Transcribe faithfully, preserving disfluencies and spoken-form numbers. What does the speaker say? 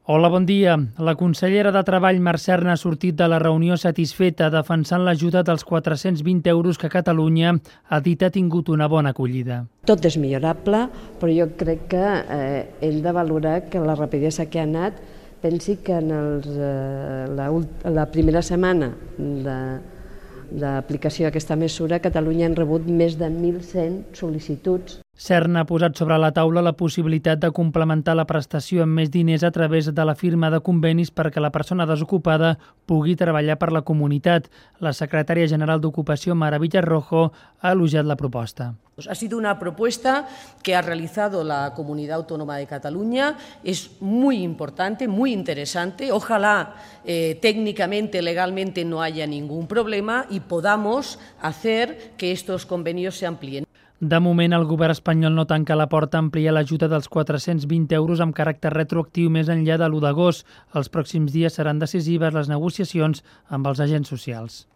Hola, bon dia. La consellera de Treball, Mercè Serna, ha sortit de la reunió satisfeta defensant l'ajuda dels quatre-cents vint euros que Catalunya ha dit ha tingut una bona acollida. Tot és millorable, però jo crec que eh, hem de valorar que la rapidesa que ha anat, pensi que en els, eh, la, la primera setmana de d'aplicació d'aquesta mesura, a Catalunya han rebut més de mil cent sol·licituds. Serna ha posat sobre la taula la possibilitat de complementar la prestació amb més diners a través de la firma de convenis perquè la persona desocupada pugui treballar per la comunitat. La secretària general d'Ocupació, Mara Villarrojo, ha elogiat la proposta. Ha sido una propuesta que ha realizado la Comunidad Autónoma de Cataluña, es muy importante, muy interesante. Ojalá eh, técnicamente, legalmente no haya ningún problema y podamos hacer que estos convenios se amplíen. De moment, el govern espanyol no tanca la porta a ampliar l'ajuda dels quatre-cents vint euros amb caràcter retroactiu més enllà de l'u d'agost. Els pròxims dies seran decisives les negociacions amb els agents socials.